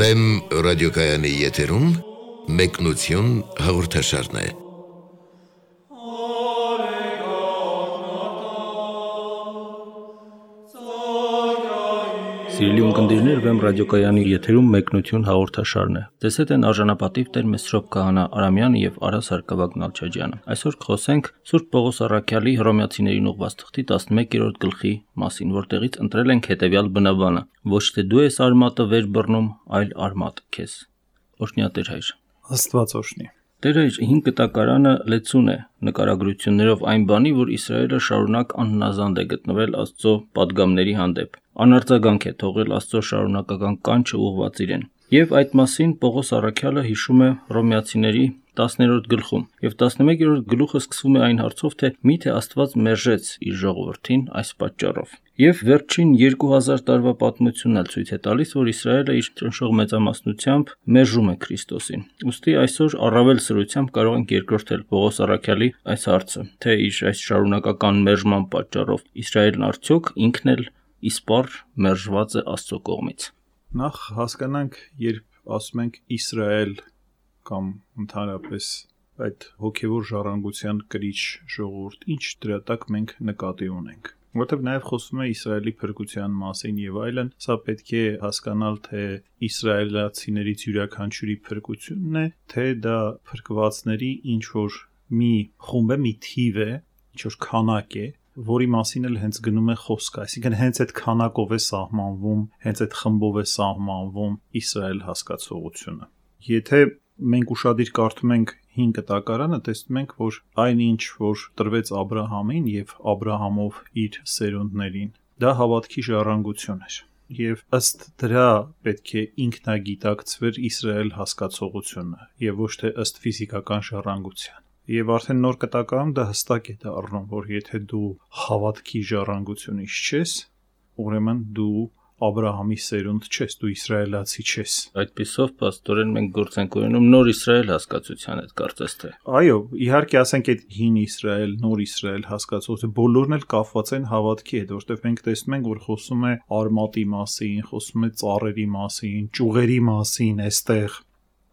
Վեմ ռադիոկայանի եթերում մեկնություն հաղորդաշարն է։ Սիրելի ունկնդիրներ, Վեմ ռադիոկայանի եթերում մեկնություն հաղորդաշարն է։ Ձեզ հետ են արժանապատիվ Տեր Մեսրոպ Քահանա Արամյանը եւ Արա Սարգսակյան Նալչաջյանը։ Այսօր կխոսենք Սուրբ Պողոս Առաքյալի Հռոմեացիներին ուղղված թղթի 11-րդ գլխի մասին, որտեղից ընտրել ենք հետեւյալ բնաբանը. ոչ թե դու ես արմատը վեր բռնում, այլ արմատը քեզ։ Օրհնյա Տեր Հայր։ Աստված օրհնի։ Տեր Հայր, 5 կտակարանը լեցուն է նկարագրություններով այն բանի, որ Իսրայելը շարունակ անհնազանդ է գտնվել Աստծո պատգամների հանդեպ։ Անարձագանք է թողել Աստծո շարունակական կանչը ուղղված իրեն։ Եվ այդ մասին Պողոս Առաքյալը հիշում է Հռոմեացիների 10-րդ գլխում, եւ 11-րդ գլուխը սկսվում է այն հարցով, թե միթե Աստված մերժեց իր ժողովրդին այս պատճառով։ Եվ վերջին 2000 տարվա պատմությունն էլ ցույց է տալիս, որ Իսրայելը իր ճնշող մեծամասնությամբ մերժում է Քրիստոսին։ Ուստի այսօր առավել սրությամբ կարող ենք երկրորդել Պողոս Առաքյալի այս հարցը, թե իր այս շարունակական մերժման պատճառով Իսրայելն արդյոք ինքն էլ իսպառ մերժված է Աստծո կողմից։ Նախ հասկանանք, երբ ասում ենք Իսրայել կամ ընդհանրապես այդ հոգևոր ժառանգության կրիչ ժողովուրդ, ինչ դրա տակ մենք նկատի ունենք, որտեղ նաև խոսվում է Իսրայելի փրկության մասին եւ այլն, սա պետք է հասկանալ, թե իսրայելացիներից յուրաքանչյուրի փրկությունն է, թե դա փրկվածների ինչ որ մի խումբ է, մի թիվ է, ինչ որ քանակ է, որի մասին էլ հենց գնում է խոսքը, այսինքն հենց այդ քանակով է սահմանվում, հենց այդ խմբով է սահմանվում Իսրայել հասկացողությունը։ Եթե մենք ուշադիր կարդում ենք 5 կտակարանը, տեսնում ենք, որ այնինչ, որ տրվեց Աբրահամին եւ Աբրահամով իր սերունդներին, դա հավատքի ժառանգություն էր։ Եվ ըստ դրա պետք է ինքնագիտակցվեր Իսրայել հասկացողությունը եւ ոչ թե ըստ ֆիզիկական ժառանգության։ Եվ արդեն նոր կտակարանում դա հստակ է դառնում, որ եթե դու հավատքի ժառանգությունից չես, ուրեմն դու Աբրահամի սերունդ չես, դու իսրայելացի չես։ Այդպիսով փաստորեն մենք գործ ենք ունենում նոր Իսրայել հասկացության հետ, կարծես թե։ Այո, իհարկե ասենք այդ հին Իսրայել, նոր Իսրայել հասկացությունը բոլորն էլ կապված են հավատքի հետ, որովհետև մենք տեսնում ենք, որ խոսում է արմատի մասին, խոսում է ծառերի մասին, ճյուղերի մասին, այստեղ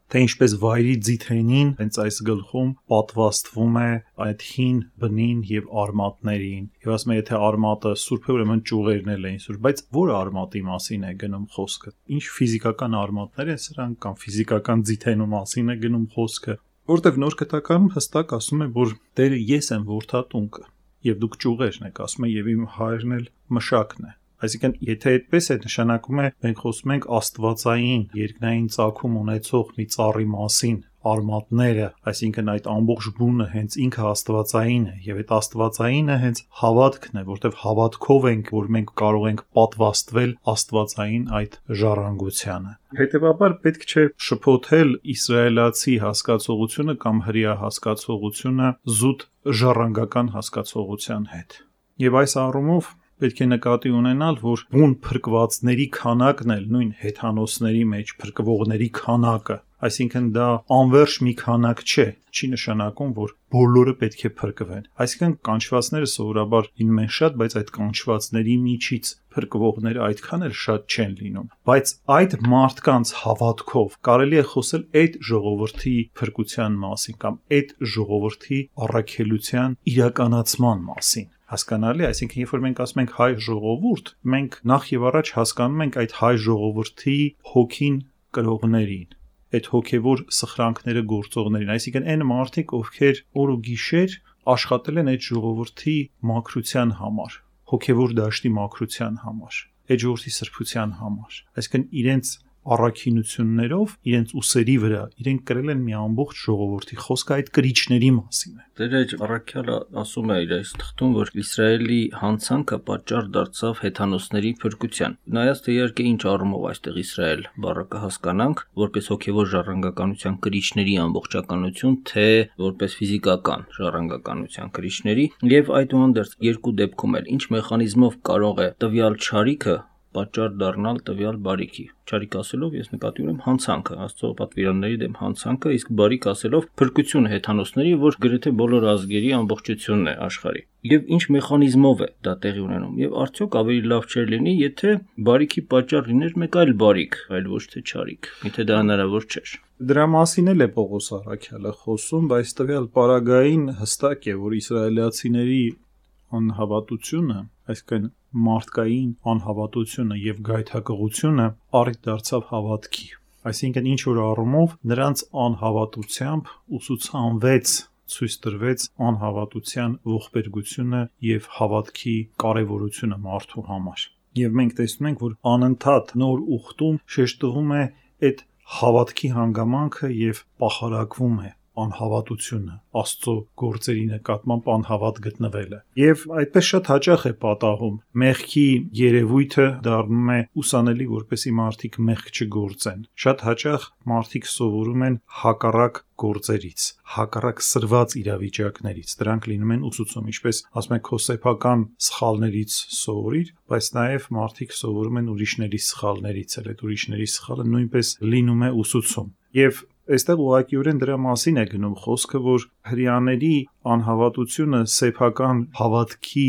թե ինչպես վայրի ձիթենին հենց այս գլխում պատվաստվում է այդ հին բնին եւ արմատներին։ Եվ ասում է, եթե արմատը սուրբ է, ուրեմն ճյուղերն էլ են սուրբ, բայց որ արմատի մասին է գնում խոսքը։ Ինչ ֆիզիկական արմատներ են սրանք կամ ֆիզիկական ձիթենու մասին է գնում խոսքը, որտեվ նոր կտակարանում հստակ ասում է, որ Տերը ես եմ որդատունկը եւ դուք ճյուղերն եք, ասում է, եւ իմ հայրն էլ մշակն է։ Այսինքն, եթե այդպես է, նշանակում է, մենք խոսում ենք աստվածային, երկնային ծագում ունեցող մի ծառի մասին, արմատները, այսինքն այդ ամբողջ բունը հենց ինքը աստվածային է, եւ այդ աստվածայինը հենց հավատքն է, որտեղ հավատքով ենք, որ մենք կարող ենք պատվաստվել աստվածային այդ ժառանգությանը։ Հետևաբար պետք չէ շփոթել իսրայելացի հասկացողությունը կամ հրեա հասկացողությունը զուտ ժառանգական հասկացողության հետ։ Եվ այս առումով պետք է նկատի ունենալ, որ բուն փրկվածների քանակն էլ նույն հեթանոսների մեջ փրկվողների քանակը, այսինքն դա անվերջ մի քանակ չէ, չի նշանակում, որ բոլորը պետք է փրկվեն։ Այսինքն կանչվածները սովորաբար լինում են շատ, բայց այդ կանչվածների միջից փրկվողները այդքան էլ շատ չեն լինում։ Բայց այդ մարդկանց հավատքով կարելի է խոսել այդ ժողովրդի փրկության մասին կամ այդ ժողովրդի առաքելության իրականացման մասին։ Հասկանալի, այսինքն երբ որ մենք ասում ենք հայ ժողովուրդ, մենք նախ եւ առաջ հասկանում ենք այդ հայ ժողովրդի հոգին կրողներին, այդ հոգեվոր սխրանքները գործողներին, այսինքն այն մարդիկ, ովքեր օր ու գիշեր աշխատել են այդ ժողովրդի մաքրության համար, հոգեվոր դաշտի մաքրության համար, այդ ժողովրդի սրբության համար, այսինքն իրենց առաքինություններով, իրենց ուսերի վրա, իրենք կրել են մի ամբողջ ժողովրդի, խոսքը այդ կրիչների մասին է։ Տեր Առաքյալը ասում է իր այս թղթում, որ Իսրայելի հանցանքը պատճառ դարձավ հեթանոսների փրկության։ Նայած թե իհարկե ինչ առումով այստեղ Իսրայել բառը կհասկանանք, որպես հոգևոր ժառանգականության կրիչների ամբողջականություն, թե որպես ֆիզիկական ժառանգականության կրիչների, եւ այդուհանդերձ երկու դեպքում էլ ինչ մեխանիզմով կարող է տվյալ չարիքը պատճառ դառնալ տվյալ բարիքի։ Չարիք ասելով ես նկատի ունեմ հանցանքը, Աստծո պատվիրանների դեմ հանցանքը, իսկ բարիք ասելով փրկությունը հեթանոսների, որ գրեթե բոլոր ազգերի ամբողջությունն է աշխարհի։ Եվ ինչ մեխանիզմով է դա տեղի ունենում։ Եվ արդյոք ավելի լավ չէր լինի, եթե բարիքի պատճառ լիներ մեկ այլ բարիք, այլ ոչ թե չարիք։ Եթե դա հնարավոր չէր։ Դրա մասին էլ է Պողոս առաքյալը խոսում, բայց տվյալ պարագային հստակ է, որ իսրայելացիների անհավատությունը, այսինքն մարդկային անհավատությունը եւ գայթակղությունը առիթ դարձավ հավատքի։ Այսինքն ինչ որ առումով նրանց անհավատությամբ ուսուցանվեց, ցույց տրվեց անհավատության ողբերգությունը եւ հավատքի կարեւորությունը մարդու համար։ Եվ մենք տեսնում ենք, որ անընդհատ նոր ուխտում շեշտվում է այդ հավատքի հանգամանքը եւ պահարակվում է անհավատությունը, Աստծո գործերի նկատմամբ անհավատ գտնվելը։ Եվ այդպես շատ հաճախ է պատահում։ Մեղքի երևույթը դառնում է ուսանելի, որպեսզի մարդիկ մեղք չգործեն։ Շատ հաճախ մարդիկ սովորում են հակառակ գործերից, հակառակ սրված իրավիճակներից։ Դրանք լինում են ուսուցում, ինչպես ասում են քո սեփական սխալներից սովորիր, բայց նաև մարդիկ սովորում են ուրիշների սխալներից, էլ այդ ուրիշների սխալը նույնպես լինում է ուսուցում։ Եվ այստեղ ուղղակիորեն դրա մասին է գնում խոսքը, որ հրեաների անհավատությունը սեփական հավատքի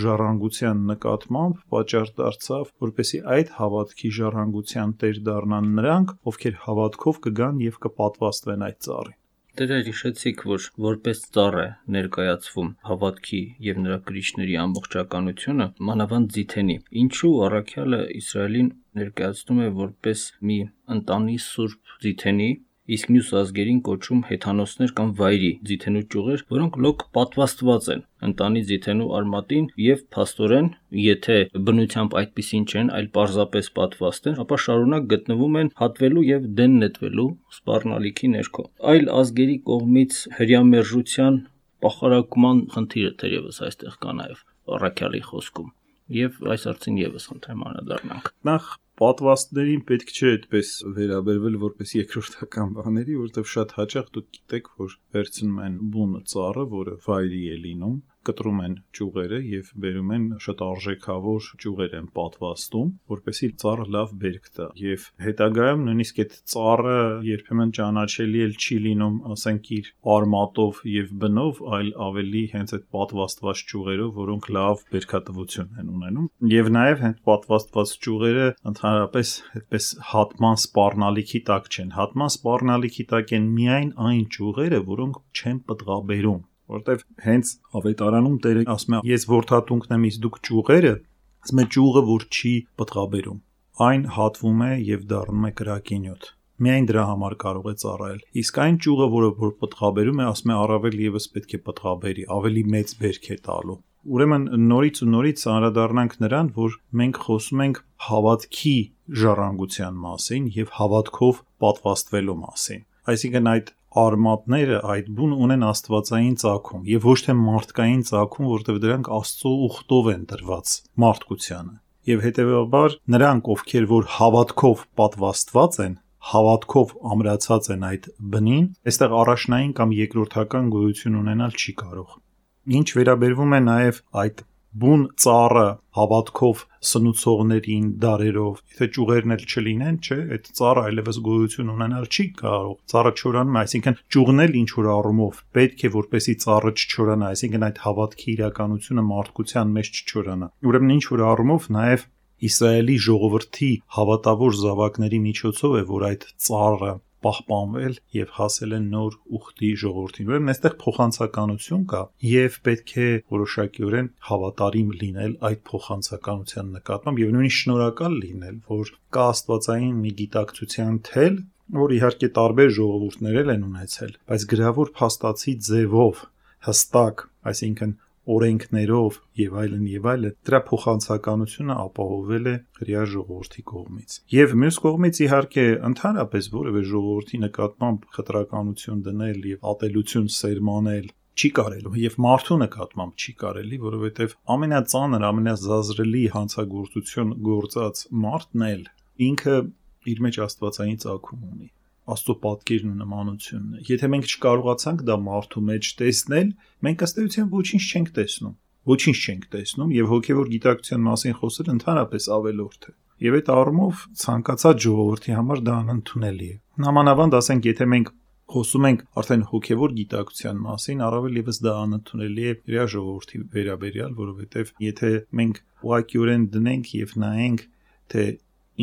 ժառանգության նկատմամբ պատճառ դարձավ, որպեսզի այդ հավատքի ժառանգության տեր դառնան նրանք, ովքեր հավատքով կգան եւ կպատվաստվեն այդ ծառին։ Դեռ հիշեցիք, որ որպես ծառ է ներկայացվում հավատքի եւ նրա կրիչների ամբողջականությունը, մանավանդ ձիթենի։ Ինչու առաքյալը Իսրայելին ներկայացնում է որպես մի ընտանի սուրբ ձիթենի, իսկ մյուս ազգերին կոչում հեթանոսներ կամ վայրի ձիթենու ճյուղեր, որոնք լոկ պատվաստված են ընտանի ձիթենու արմատին եւ փաստորեն, եթե բնությամբ այդպիսին չեն, այլ պարզապես պատվաստ են, ապա շարունակ գտնվում են հատվելու եւ դեն նետվելու սպառնալիքի ներքո։ Այլ ազգերի կողմից հրյամերժության պախարակման խնդիրը թերևս այստեղ կա նաեւ առաքյալի խոսքում։ Եվ այս հարցին եւս խնդրեմ անդրադառնանք։ Նախ պատվաստներին պետք չէ այդպես վերաբերվել որպես երկրորդական բաների, որովհետև շատ հաճախ դուք գիտեք, որ վերցնում են բուն ծառը, որը վայրի է լինում, կտրում են ճյուղերը եւ բերում են շատ արժեքավոր ճյուղեր են պատվաստում, որպեսզի ծառը լավ բերք տա։ Եվ հետագայում նույնիսկ այդ ծառը երբեմն ճանաչելի էլ չի լինում, ասենք իր արմատով եւ բնով, այլ ավելի հենց այդ պատվաստված ճյուղերով, որոնք լավ բերքատվություն են ունենում։ Եվ նաեւ հենց պատվաստված ճյուղերը ընդհանրապես այդպես հատման սպառնալիքի տակ չեն։ Հատման սպառնալիքի տակ են միայն այն ճյուղերը, որոնք չեն պտղաբերում, որտեվ հենց ավետարանում Տերը ասում է, ես որդաթունքն եմ, իսկ դուք ճյուղերը, ասում է ճյուղը, որ չի պտղաբերում, այն հատվում է եւ դառնում է կրակինյոթ։ Միայն դրա համար կարող է ծառայել։ Իսկ այն ճյուղը, որը պտղաբերում է, ասում է առավել եւս պետք է պտղաբերի, ավելի մեծ բերք է տալու։ Ուրեմն նորից ու նորից անդրադառնանք նրան, որ մենք խոսում ենք հավատքի ժառանգության մասին եւ հավատքով պատվաստվելու մասին։ Այսինքն այդ արմատները այդ բուն ունեն աստվածային ծագում եւ ոչ թե մարդկային ծագում, որտեղ դրանք Աստծո ուխտով են տրված մարդկությանը։ Եվ հետեւաբար նրանք, ովքեր որ հավատքով պատվաստված են, հավատքով ամրացած են այդ բնին, այստեղ առաջնային կամ երկրորդական գոյություն ունենալ չի կարող։ Ինչ վերաբերվում է նաեւ այդ բուն ծառը հավատքով սնուցողներին դարերով, եթե ճյուղերն էլ չլինեն, չէ, այդ ծառը այլևս գոյություն ունենալ չի կարող։ Ծառը չորանում է, այսինքն ճյուղն էլ ինչ որ առումով պետք է որպեսի ծառը չչորանա, այսինքն այդ հավատքի իրականությունը մարդկության մեջ չչորանա։ Ուրեմն ինչ որ առումով նաև Իսրայելի ժողովրդի հավատավոր զավակների միջոցով է, որ այդ ծառը պահպանվել եւ հասել են նոր ուխտի ժողովրդին։ Ուրեմն այստեղ փոխանցականություն կա եւ պետք է որոշակիորեն հավատարիմ լինել այդ փոխանցականության նկատմամբ եւ նույնիսկ շնորհակալ լինել, որ կա աստվածային մի գիտակցության թել, որ իհարկե տարբեր ժողովուրդներ են ունեցել, բայց գրավոր փաստացի ձևով հստակ, այսինքն օրենքներով եւ այլն, դրա փոխանցականությունը ապահովել է հրեա ժողովրդի կողմից։ Եվ մյուս կողմից իհարկե ընդհանրապես որևէ ժողովրդի նկատմամբ խտրականություն դնել եւ ատելություն սերմանել չի կարելի եւ մարդու նկատմամբ չի կարելի, որովհետեւ ամենածանր, ամենազազրելի հանցագործություն գործած մարդն էլ ինքը իր մեջ աստվածային ծագում ունի, Աստծո պատկերն ու նմանությունն է։ Եթե մենք չկարողացանք դա մարդու մեջ տեսնել, մենք ըստ էության ոչինչ չենք տեսնում։ ոչինչ չենք տեսնում եւ հոգեվոր գիտակցության մասին խոսել ընդհանրապես ավելորդ է։ Եվ այդ առումով ցանկացած ժողովրդի համար դա անընդունելի է։ Նամանավանդ ասենք, եթե մենք խոսում ենք արդեն հոգեվոր գիտակցության մասին, առավել եւս դա անընդունելի է իր ժողովրդի վերաբերյալ, որովհետեւ եթե մենք ուղղակիորեն դնենք եւ նայենք, թե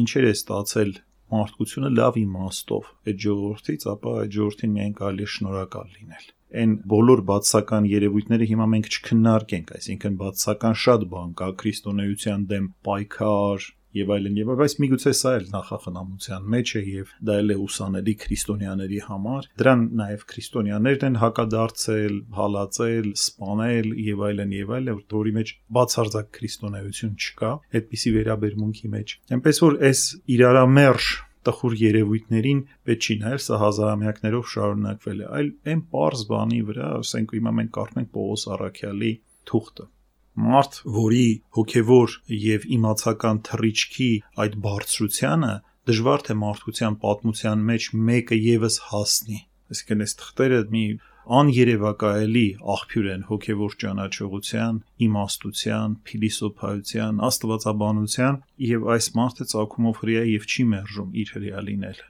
ինչեր է ստացել մարդկությունը լավ իմաստով այդ ժողովրդից, ապա այդ ժողովրդին միայն կարելի է շնորհակալ լինել։ Այն բոլոր բացասական երևույթները հիմա մենք չքննարկենք, այսինքն բացասական շատ բան կա, քրիստոնեության դեմ պայքար եւ այլն, բայց միգուցե սա էլ նախախնամության մեջ է եւ դա էլ է ուսանելի քրիստոնյաների համար։ Դրան նաեւ քրիստոնյաներն են հակադարձել, հալածել, սպանել եւ այլն, որի մեջ բացարձակ քրիստոնեություն չկա այդպիսի վերաբերմունքի մեջ։ Այնպես որ այս իրարամերժ տխուր երևույթներին պետք չի նայել, սա հազարամյակներով շարունակվել է, այլ այն պարզ բանի վրա, ասենք հիմա մենք կարդում ենք Պողոս առաքյալի թուղթը։ Մարդ, որի հոգևոր եւ իմացական թռիչքի այդ բարձրությանը դժվար թե մարդկության պատմության մեջ մեկը եւս հասնի։ Այսինքն այս թղթերը մի աներևակայելի աղբյուր են հոգևոր ճանաչողության, իմաստության, փիլիսոփայության, աստվածաբանության եւ այս մարդը ծագումով հրեա եւ չի մերժում իր հրեա լինելը։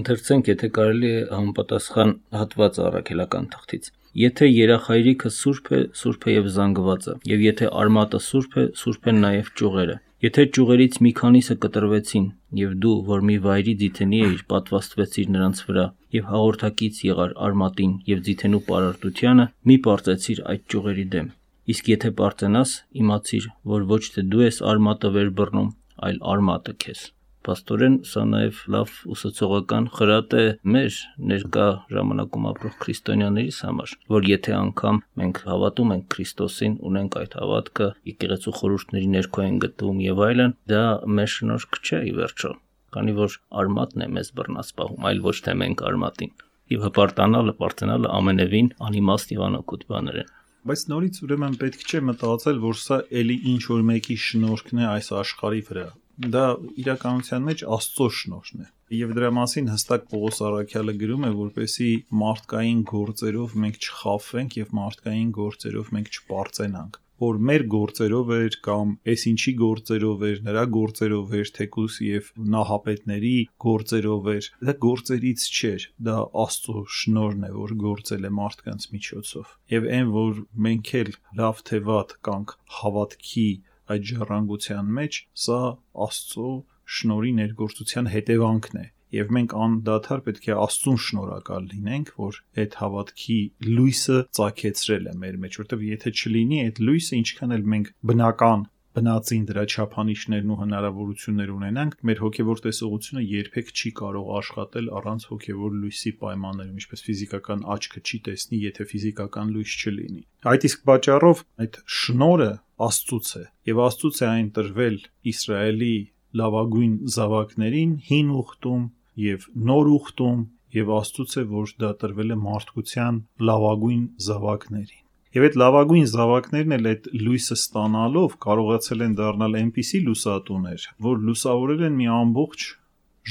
Ընթերցենք, եթե կարելի է համապատասխան հատված առաքելական թղթից։ Եթե երախայրիկը սուրբ է, սուրբ է եւ զանգվածը, եւ եթե արմատը սուրբ է, սուրբ են նաեւ ճյուղերը։ Եթե ճյուղերից մի քանիսը կտրվեցին, եւ դու, որ մի վայրի ձիթենի էիր, պատվաստվեցիր նրանց վրա, եւ հաղորդակից եղար արմատին եւ ձիթենու պարարտությանը, մի պարծեցիր այդ ճյուղերի դեմ։ Իսկ եթե պարծենաս, իմացիր, որ ոչ թե դու ես արմատը վեր բռնում, այլ արմատը քեզ։ Պաստորեն, սա նաև լավ ուսուցողական խրատ է մեր ներկա ժամանակում ապրող քրիստոնյաներիս համար, որ եթե անգամ մենք հավատում ենք Քրիստոսին, ունենք այդ հավատքը, եկեղեցու խորհուրդների ներքո են գտնվում եւ այլն, դա մեր շնորհք չէ ի վերջո, քանի որ արմատն է մեզ բռնած պահում, այլ ոչ թե մենք արմատին։ Եվ հպարտանալը, պարծենալը ամենևին անիմաստ եւ անօգուտ բաներ են։ Բայց նորից ուրեմն պետք չէ մտածել, որ սա էլի ինչ որ մեկի շնորհքն է այս աշխարհի վրա։ Դա իրականության մեջ Աստծո շնորհն է։ Եվ դրա մասին հստակ Պողոս առաքյալը գրում է, որպեսզի մարդկային գործերով մենք չխաբվենք եւ մարդկային գործերով մենք չպարծենանք, որ մեր գործերով էր կամ այս ինչի գործերով էր, նրա գործերով էր, թեկուս եւ նահապետների գործերով էր, դա գործերից չէր, դա Աստծո շնորհն է, որ գործել է մարդկանց միջոցով։ Եվ այն, որ մենք էլ լավ թե վատ կանք հավատքի այդ ժառանգության մեջ, սա Աստծո շնորհի ներգործության հետևանքն է։ Եվ մենք անդադար պետք է Աստծուն շնորհակալ լինենք, որ այդ հավատքի լույսը ծագեցրել է մեր մեջ, որտեղ եթե չլինի այդ լույսը, ինչքան էլ մենք բնական բնածին դրա չափանիշներն ու հնարավորություններ ունենանք, մեր հոգևոր տեսողությունը երբեք չի կարող աշխատել առանց հոգևոր լույսի պայմաններում, ինչպես ֆիզիկական աչքը չի տեսնի, եթե ֆիզիկական լույս չլինի։ Այդ իսկ պատճառով այդ շնորհը Աստծուց է, եւ Աստծուց է այն տրվել Իսրայելի լավագույն զավակներին հին ուխտում եւ նոր ուխտում, եւ Աստծուց է, որ դա տրվել է մարդկության լավագույն զավակներին։ Եվ այդ լավագույն զավակներն էլ այդ լույսը ստանալով կարողացել են դառնալ այնպիսի լուսատուներ, որ լուսավորել են մի ամբողջ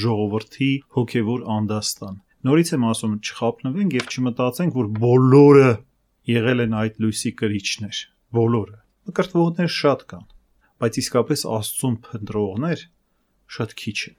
ժողովրդի հոգևոր անդաստան։ Նորից եմ ասում, չխաբնվենք եւ չմտածենք, որ բոլորը եղել են այդ լույսի կրիչներ, բոլորը։ Մկրտվողներ շատ կան, բայց իսկապես Աստծուն փնտրողներ շատ քիչ են։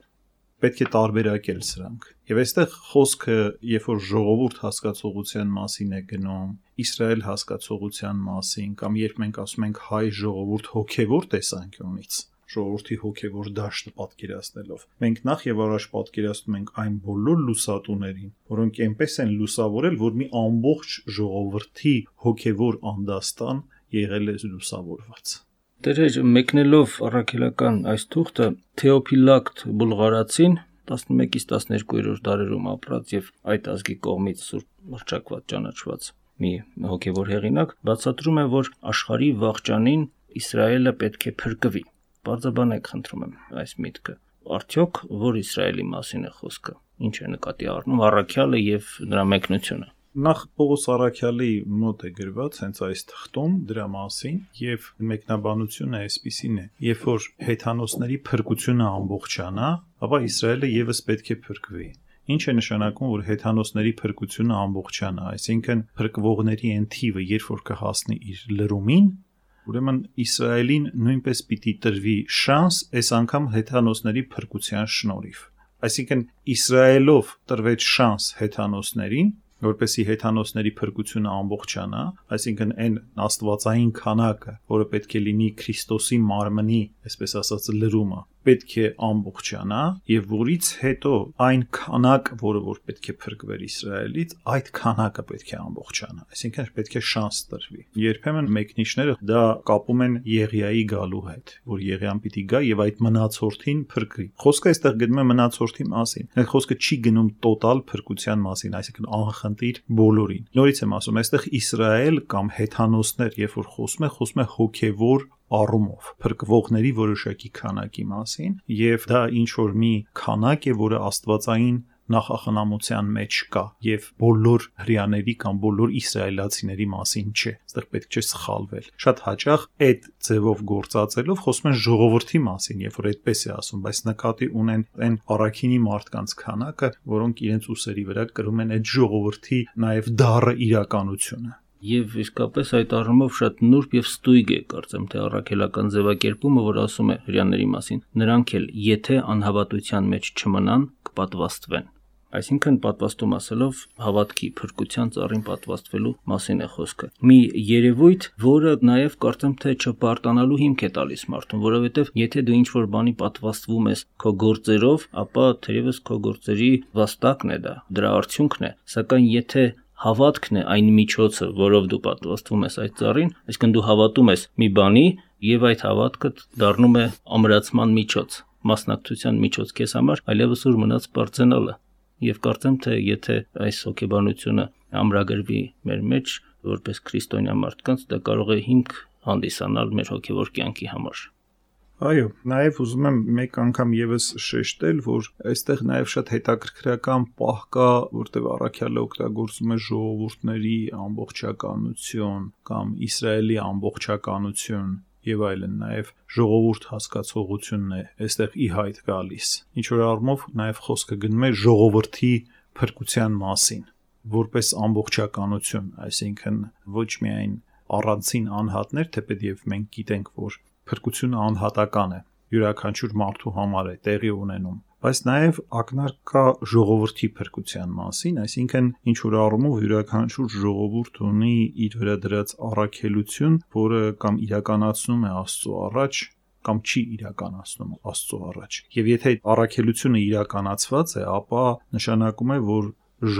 Պետք է տարբերակել սրանք։ Եվ այստեղ խոսքը, երբ որ ժողովուրդ հասկացողության մասին է գնում, Իսրայել հասկացողության մասին, կամ երբ մենք ասում ենք հայ ժողովուրդ հոգևոր տեսանկյունից, ժողովրդի հոգևոր դաշտը պատկերացնելով, մենք նախ եւ առաջ պատկերացնում ենք այն բոլոր լուսատուներին, որոնք այնպես են լուսավորել, որ մի ամբողջ ժողովրդի հոգևոր անդաստան եղել է լուսավորված։ Տերեր, մեկնելով առաքելական այս թուղթը, Թեոփիլակտ Բուլղարացին 11-ից 12-րդ դարերում ապրած եւ այդ ազգի կողմից սուրբ մրճակված ճանաչված մի հոգևոր հեղինակ բացատրում է, որ աշխարհի վաղճանին Իսրայելը պետք է փրկվի։ Բարձրաբանեք, խնդրում եմ, այս միտքը։ Արդյոք որ Իսրայելի մասին է խոսքը։ Ինչ է նկատի առնում առաքյալը եւ նրա մեկնությունը։ Նախ Պողոս առաքյալի մոտ է գրված հենց այս թղթում դրա մասին եւ մեկնաբանությունը այսպիսին է. երբ որ հեթանոսների փրկությունը ամբողջանա, ապա Իսրայելը եւս պետք է փրկվի։ Ինչ է նշանակում, որ հեթանոսների փրկությունը ամբողջանա, այսինքն փրկվողների այն թիվը, երբ որ կհասնի իր լրումին, Ուրեմն Իսրայելին նույնպես պիտի տրվի շանս այս անգամ հեթանոսների փրկության շնորհիվ։ Այսինքն Իսրայելով տրվեց շանս հեթանոսներին, որպեսզի հեթանոսների փրկությունը ամբողջանա, այսինքն այն աստվածային քանակը, որը պետք է լինի Քրիստոսի մարմնի, այսպես ասած, լրումը, պետք է ամբողջանա, եւ որից հետո այն քանակը, որը որ պետք է փրկվեր Իսրայելից, այդ քանակը պետք է ամբողջանա, այսինքն պետք է շանս տրվի։ Երբեմն մեկնիչները դա կապում են Եղիայի գալու հետ, որ Եղիան պիտի գա եւ այդ մնացորդին փրկի։ Խոսքը այստեղ գնում է մնացորդի մասին։ Այդ խոսքը չի գնում տոտալ փրկության մասին, այսինքն անխնդիր բոլորին։ Նորից եմ ասում, այստեղ Իսրայել կամ հեթանոսներ, երբ որ խոսում է հոգեվոր առումով փրկվողների որոշակի քանակի մասին, եւ դա ինչ որ մի քանակ է, որը աստվածային նախախնամության մեջ կա եւ բոլոր հрьяաների կամ բոլոր իսրայելացիների մասին չէ։ Այստեղ պետք չէ սխալվել։ Շատ հաճախ այդ ձևով գործածելով խոսում են ժողովրդի մասին, երբ որ այդպես է ասում, բայց նկատի ունեն այն առաքինի մարդկանց քանակը, որոնք իրենց ուսերի վրա կրում են այդ ժողովրդի նաեւ դառը իրականությունը։ Եվ իսկապես այդ առումով շատ նուրբ եւ ստույգ է, կարծեմ, թե առաքելական ձևակերպումը, որ ասում է հрьяաների մասին, նրանք էլ եթե անհավատության մեջ չմնան, կպատվաստվեն։ Այսինքն պատվաստում ասելով հավատքի փրկության ծառին պատվաստվելու մասին է խոսքը։ Մի երևույթ, որը նաև կարծեմ թե չպարտանալու հիմք է տալիս մարդուն, որովհետև եթե դու ինչ-որ բանի պատվաստվում ես քո գործերով, ապա թերևս քո գործերի վաստակն է դա, դրա արդյունքն է, սակայն եթե հավատքն է այն միջոցը, որով դու պատվաստվում ես այդ ծառին, այսինքն դու հավատում ես մի բանի եւ այդ հավատքը դառնում է ամրացման միջոց, մասնակցության միջոց քեզ համար, այլևս ուր մնաց բարձենալը։ Եվ կարծեմ թե եթե այս հոգեբանությունը ամրագրվի մեր մեջ որպես քրիստոնյա մարդկանց, դա կարող է հիմք հանդիսանալ մեր հոգեվոր կյանքի համար։ Այո, նաև ուզում եմ մեկ անգամ եւս շեշտել, որ այստեղ նաև շատ հետաքրքրական պահ կա, որտեղ առաքյալը օգտագործում է ժողովուրդների ամբողջականություն կամ Իսրայելի ամբողջականություն եւ այլն, նաև ժողովուրդ հասկացողությունն է այստեղ ի հայտ գալիս։ Ինչ որ առումով նաև խոսքը գնում է ժողովրդի փրկության մասին, որպես ամբողջականություն, այսինքն ոչ միայն առանցին անհատներ, թեպետև մենք գիտենք, որ փրկությունը անհատական է, յուրաքանչյուր մարդու համար է տեղի ունենում, բայց նաև ակնարկ կա ժողովրդի փրկության մասին, այսինքն ինչ որ առումով յուրաքանչյուր ժողովուրդ ունի իր վրա դրած առաքելություն, որը կամ իրականացնում է Աստծո առաջ, կամ չի իրականացնում Աստծո առաջ։ Եվ եթե այդ առաքելությունը իրականացված է, ապա նշանակում է, որ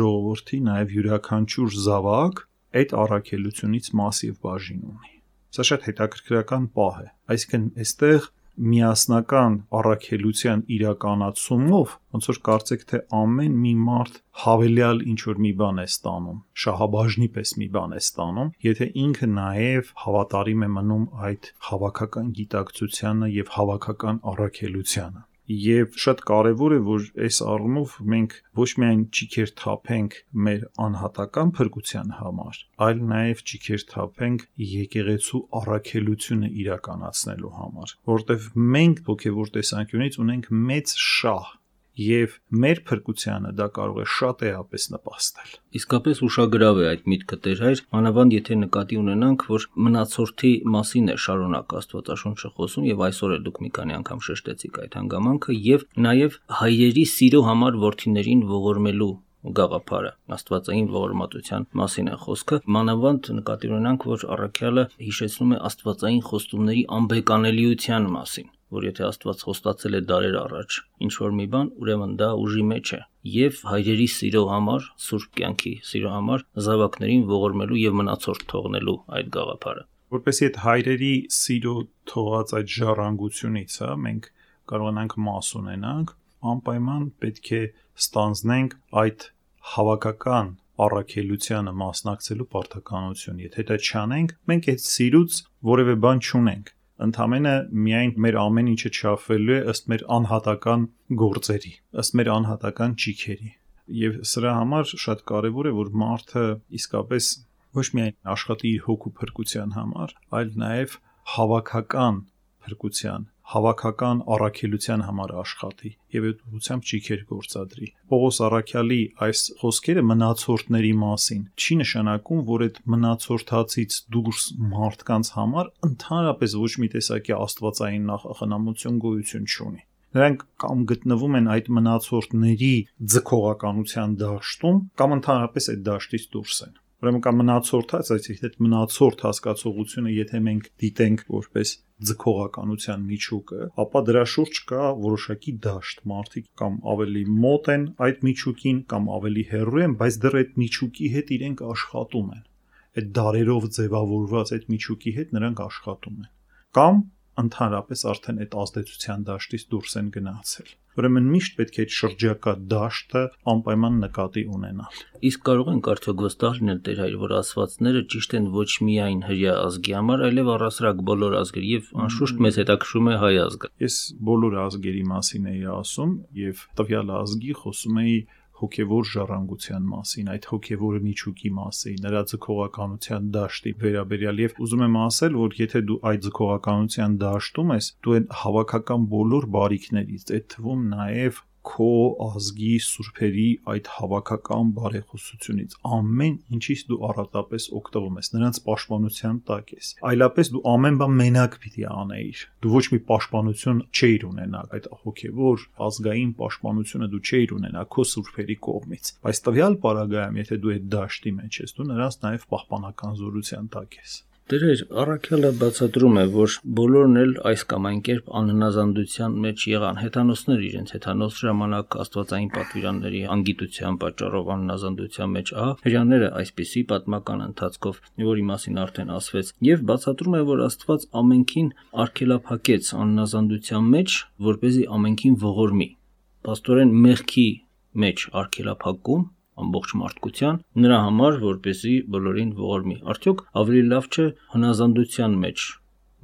ժողովրդի նաև յուրաքանչյուր զավակ այդ առաքելությունից մասիվ բաժին ունի։ Սա շատ հետաքրքրական պահ է, այսինքն այստեղ միասնական առաքելության իրականացումով ոնց որ կարծեք թե ամեն մի մարդ հավելյալ ինչ որ մի բան է ստանում, շահաբաժնի պես մի բան է ստանում, եթե ինքը նաև հավատարիմ է մնում այդ հավաքական գիտակցությանը եւ հավաքական առաքելությանը։ Եվ շատ կարևոր է, որ այս առումով մենք ոչ միայն ճիքեր թափենք մեր անհատական փրկության համար, այլ նաև ճիքեր թափենք եկեղեցու առաքելությունը իրականացնելու համար, որտեղ մենք հոգևոր տեսանկյունից ունենք մեծ շահ, եւ մեր փրկությանը դա կարող է շատ էապես նպաստել։ Իսկապես ուշագրավ է այդ միտքը Տեր հայր, մանավանդ եթե նկատի ունենանք, որ մնացորդի մասին է շարունակ Աստվածաշունչը խոսում եւ այսօր էլ դուք մի քանի անգամ շեշտեցիք այդ հանգամանքը եւ նաեւ հայրերի սիրո համար որդիներին ողորմելու գաղափարը, աստվածային ողորմատության մասին է խոսքը, մանավանդ նկատի ունենանք, որ առաքյալը հիշեցնում է աստվածային խոստումների անբեկանելիության մասին, որ եթե Աստված խոստացել է դարեր առաջ ինչ-որ մի բան, ուրեմն դա ուժի մեջ է, եւ հայրերի սիրո համար, սուրբ կյանքի սիրո համար զավակներին ողորմելու եւ մնացորդ թողնելու այդ գաղափարը։ Որպեսզի այդ հայրերի սիրո թողած այդ ժառանգությունից, մենք կարողանանք մաս ունենանք, անպայման պետք է ստանձնենք այդ հավաքական առաքելությանը մասնակցելու պարտականություն։ Եթե դա չանենք, մենք այդ սիրուց որևէ բան չունենք։ Ընդամենը միայն մեր ամեն ինչը չափվելու է ըստ մեր անհատական գործերի, ըստ մեր անհատական ճիքերի։ Եվ սրա համար շատ կարևոր է, որ մարդը իսկապես ոչ միայն աշխատի իր հոգու փրկության համար, այլ նաև հավաքական փրկության, հավաքական առաքելության համար աշխատի եւ այդ ուղղությամբ ճիգեր գործադրի։ Պողոս առաքյալի այս խոսքերը մնացորդների մասին չի նշանակում, որ այդ մնացորդացից դուրս մարդկանց համար ընդհանրապես ոչ մի տեսակի աստվածային նախախնամություն գոյություն չունի։ Նրանք կամ գտնվում են այդ մնացորդների ձգողականության դաշտում, կամ ընդհանրապես այդ դաշտից դուրս են։ Ուրեմն կամ մնացորդած, այսինքն այդ մնացորդ հասկացողությունը, եթե մենք դիտենք որպես ձգողականության միջուկը, ապա դրա շուրջ կա որոշակի դաշտ, մարդիկ կամ ավելի մոտ են այդ միջուկին, կամ ավելի հեռու են, բայց դեռ այդ միջուկի հետ իրենք աշխատում են։ Այդ դարերով ձևավորված այդ միջուկի հետ նրանք աշխատում են։ Կամ ընդհանրապես արդեն այդ ազդեցության դաշտից դուրս են գնացել։ Ուրեմն միշտ պետք է այդ շրջակա դաշտը անպայման նկատի ունենալ։ Իսկ կարող ենք արդյոք վստահ լինել Տեր Հայր, որ ասվածները ճիշտ են ոչ միայն հրյա ազգի համար, այլև առասարակ բոլոր ազգերի, եւ անշուշտ մեզ հետաքրում է հայ ազգը։ Ես բոլոր ազգերի մասին էի ասում եւ տվյալ ազգի խոսում էի հոգևոր ժառանգության մասին, այդ հոգևոր միջուկի մասին, նրա ձգողականության դաշտի վերաբերյալ եւ ուզում եմ ասել, որ եթե դու այդ ձգողականության դաշտում ես, դու այն հավաքական բոլոր բարիքներից, այդ թվում նաեւ քո ազգի սուրբերի այդ հավաքական բարեխոսությունից ամեն ինչից դու առատապես օգտվում ես, նրանց պաշտպանության տակ ես։ Այլապես դու ամեն բան մենակ պիտի անեիր։ Դու ոչ մի պաշտպանություն չէիր ունենա, այդ հոգևոր ազգային պաշտպանությունը դու չէիր ունենա քո սուրբերի կողմից։ Բայց տվյալ պարագայում, եթե դու այդ դաշտի մեջ ես, դու նրանց նաև պահպանական զորության տակ ես։ Տեր Հայր, առաքյալը բացատրում է, որ բոլորն էլ այս կամ այն կերպ անհնազանդության մեջ եղան, հեթանոսներ իրենց հեթանոս ժամանակ աստվածային պատվիրանների անգիտության պատճառով անհնազանդության մեջ, հրյաները այսպիսի պատմական ընթացքով, որի մասին արդեն ասվեց, եւ բացատրում է, որ Աստված ամենքին արգելափակեց անհնազանդության մեջ, որպեսզի ամենքին ողորմի։ Պաստորեն մեղքի մեջ արգելափակում ամբողջ մարդկության նրա համար, որպեսզի բոլորին ողորմի։ Արդյոք ավելի լավ չէ հնազանդության մեջ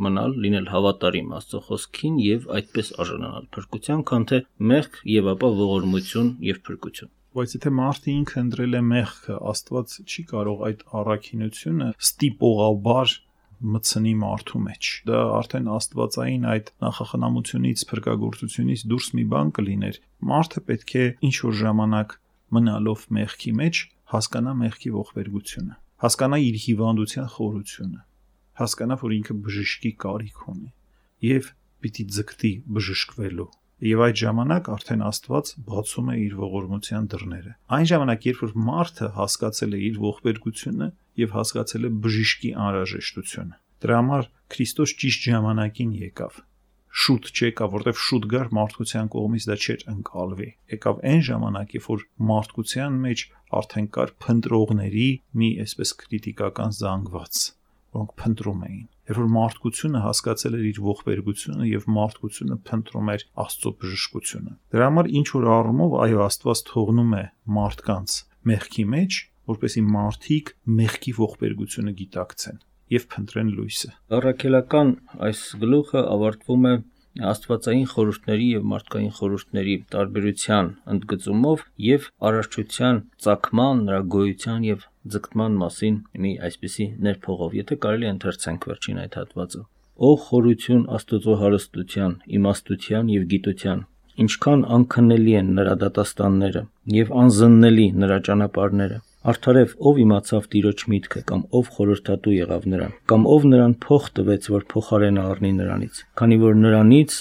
մնալ, լինել հավատարիմ Աստծո խոսքին եւ այդպես արժանանալ փրկության, քան թե մեղք եւ ապա ողորմություն եւ փրկություն։ Բայց եթե մարդը ինքը ընտրել է մեղքը, Աստված չի կարող այդ առաքինությունը ստիպողաբար մտցնի մարդու մեջ։ Դա արդեն աստվածային այդ նախախնամությունից, փրկagorցությունից դուրս մի բան կլիներ։ Մարդը պետք է ինչ որ ժամանակ մնալով մեղքի մեջ հասկանա մեղքի ողբերգությունը, հասկանա իր հիվանդության խորությունը, հասկանա, որ ինքը բժշկի կարիք ունի եւ պիտի ձգտի բժշկվելու։ Եվ այդ ժամանակ արդեն Աստված բացում է իր ողորմության դռները։ Այն ժամանակ, երբ որ մարդը հասկացել է իր ողբերգությունը եւ հասկացել է բժշկի անհրաժեշտությունը, դրա համար Քրիստոս ճիշտ ժամանակին եկավ։ Շուտ չեկավ, որտեվ շուտ գար մարդկության կողմից դա չէր ընկալվի։ Եկավ այն ժամանակ, երբ որ մարդկության մեջ արդեն կար փնտրողների մի այսպես քրիտիկական զանգված, որոնք փնտրում էին։ Երբ որ մարդկությունը հասկացել էր իր ողբերգությունը եւ մարդկությունը փնտրում էր Աստծո բժշկությունը։ Դրա համար ինչ որ առումով այո, Աստված թողնում է մարդկանց մեղքի մեջ, որպեսզի մարդիկ մեղքի ողբերգությունը գիտակցեն եւ փնտրեն լույսը։ Առաքելական այս գլուխը ավարտվում է աստվածային խորհուրդների եւ մարդկային խորհուրդների տարբերության ընդգծումով եւ արարչության ծագման, նրա գոյության եւ ձգտման մասին մի այսպիսի ներփողով, եթե կարելի ընթերցենք վերջին այդ հատվածը։ Ո խորություն Աստծո հարստության, իմաստության եւ գիտության, ինչքան անքննելի են նրա դատաստանները եւ անզննելի նրա ճանապարհները։ Արդարև ով իմացավ Տիրոջ միտքը, կամ ով խորհրդատու եղավ նրան, կամ ով նրան փող տվեց, որ փոխարենը առնի նրանից, քանի որ նրանից,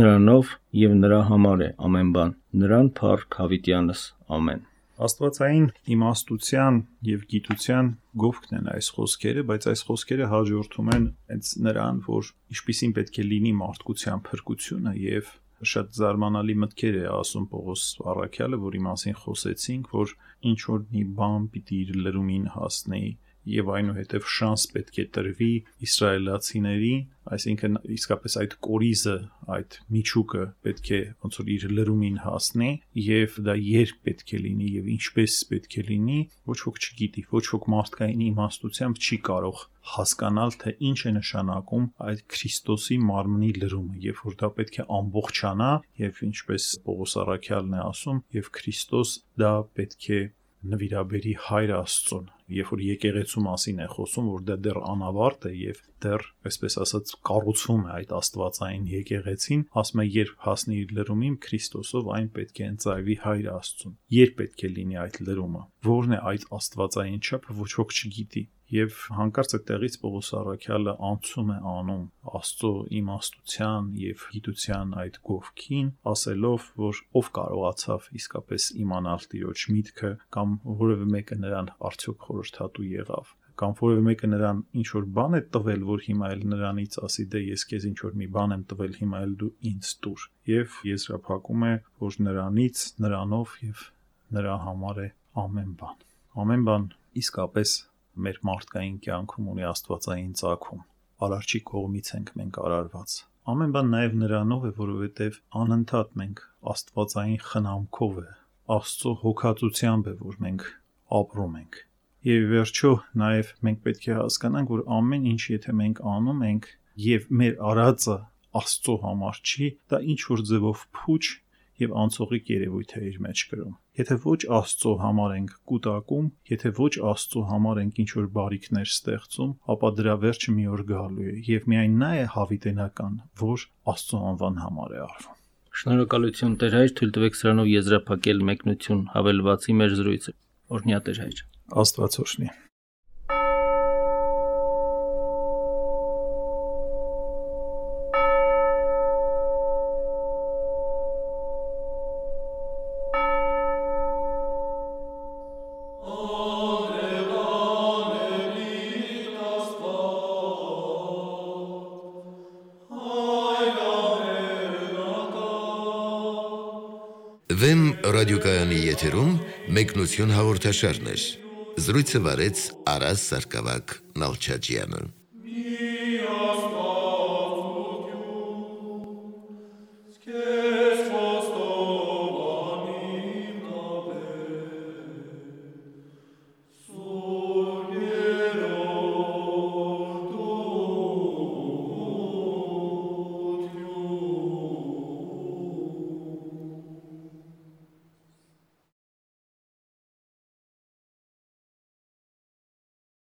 նրանով եւ նրա համար է ամեն բան, նրան փառք հավիտյանս, ամեն։ Աստվածային իմաստության եւ գիտության գովքն են այս խոսքերը, բայց այս խոսքերը հաջորդում են հենց նրան, որ ինչպիսին պետք է լինի մարդկության փրկությունը եւ շատ զարմանալի մտքեր է ասում Պողոս առաքյալը, որի մասին խոսեցինք, որ ինչ որ մի բան պիտի իր լրումին հասնի եւ այնուհետեւ շանս պետք է տրվի իսրայելացիներին, այսինքն իսկապես այդ կորիզը, այդ միջուկը պետք է ոնց որ իր լրումին հասնի եւ դա երբ պետք է լինի եւ ինչպես պետք է լինի, ոչ ոք չգիտի, ոչ ոք մարդկային իմաստությամբ չի կարող հասկանալ, թե ինչ է նշանակում այդ Քրիստոսի մարմնի լրումը, եւ որ դա պետք է ամբողջանա եւ ինչպես Պողոս առաքյալն է ասում, եւ Քրիստոս դա պետք է նվիրաբերի Հայր Աստծուն երբ որ եկեղեցու մասին է խոսում, որ դա դեռ անավարտ է եւ դեռ, այսպես ասած, կառուցվում է այդ աստվածային եկեղեցին, ասում է, երբ հասնի իր լրումին Քրիստոսով, այն պետք է ընծայվի Հայր Աստծուն։ Երբ պետք է լինի այդ լրումը։ Որն է այդ աստվածային չափը, ոչ ոք չգիտի։ Եվ հանկարծ այդտեղից Պողոս առաքյալը անցում է անում Աստծո իմաստության եւ գիտության այդ գովքին, ասելով, որ ով կարողացավ իսկապես իմանալ Տիրոջ միտքը, կամ որևէ մեկը նրան արդյոք խորհրդատու եղավ, կամ որևէ մեկը նրան ինչ որ բան է տվել, որ հիմա էլ նրանից ասի, դե ես քեզ ինչ որ մի բան եմ տվել, հիմա էլ դու ինձ տուր։ Եվ եզրափակում է, որ նրանից, նրանով եւ նրա համար է ամեն բան։ Ամեն բան իսկապես մեր մարդկային կյանքում ունի աստվածային ծագում։ Արարչի կողմից ենք մենք արարված։ Ամեն բան նաև նրանով է, որովհետև անընդհատ մենք աստվածային խնամքով է, Աստծո հոգածությամբ է, որ մենք ապրում ենք։ Եվ վերջո նաև մենք պետք է հասկանանք, որ ամեն ինչ, եթե մենք անում ենք եւ մեր արածը Աստծո համար չի, դա ինչ որ ձևով փուչ եւ անցողիկ երևույթ է իր մեջ կրում։ Եթե ոչ Աստծո համար ենք կուտակում, եթե ոչ Աստծո համար ենք ինչ որ բարիքներ ստեղծում, ապա դրա վերջը մի օր գալու է եւ միայն նա է հավիտենական, որ Աստծո անվան համար է արվում։ Շնորհակալություն Տեր Հայր, թույլ տվեք սրանով եզրափակել մեկնություն հավելվածի մեր զրույցը։ Օրհնյա Տեր Հայր։ Աստված օրհնի։ Վեմ ռադիոկայանի եթերում մեկնություն հաղորդաշարներ։ Զրույցը վարեց Արաս Սարգսակյան Նալչաջյանը։